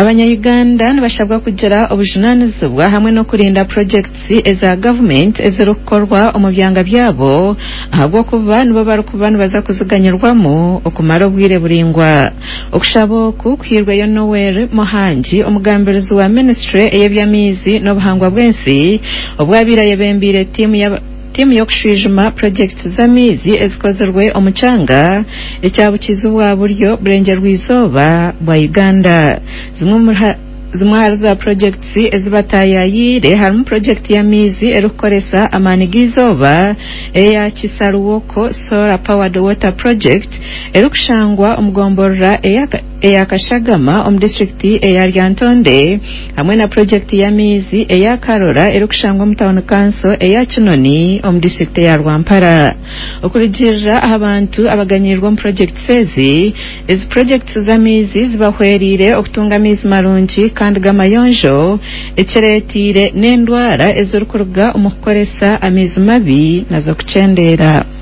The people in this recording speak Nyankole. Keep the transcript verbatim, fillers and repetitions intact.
Abanya-Uganda nibashabwa kugira obujunaanizibwa hamwe n'okurinda projects eza gavumenti ezirikukorwa omu byanga byabo ahabw'okuba nibo barikuba nibaza kuziganyirwamu okumara obwire buraingwa. Okushaba oku kuhairweyo Noel Muhangi, omugambirizi wa ministry ey'eby'amaizi n'obuhangwa bw'ensi, obwabaire ayebembeire tiimu y'aba tiimu y'okushwijuma projects z'amaizi ezikozirwe omu kyanga ekya bukiizi bwa buryo burengyerwa-izooba bwa Uganda. Zimwe omuri zimwe ahari za projects ezi bataayayiire harimu project y'amaizi erikukoresa amaani g'eizooba eya Kisaruwoko Solar Powered Water Project erikushangwa omu gomborora eya Kashagama omu disitulikiti eya Lyantonde hamwe na project y'amaizi eya Karora erikushangwa omu tawuni kanso eya Kinoni omu disitulikiti eya Rwampara. Okurugiirira aha bantu abaganyiirwe omu projects ezi, ezi projects z'amaizi zibahwereire okutunga amaizi marungi kandi g'amayonjo ekireeteire n'endwara ezirikuruga omu kukoresa amaizi mabi nazo kukyendeera.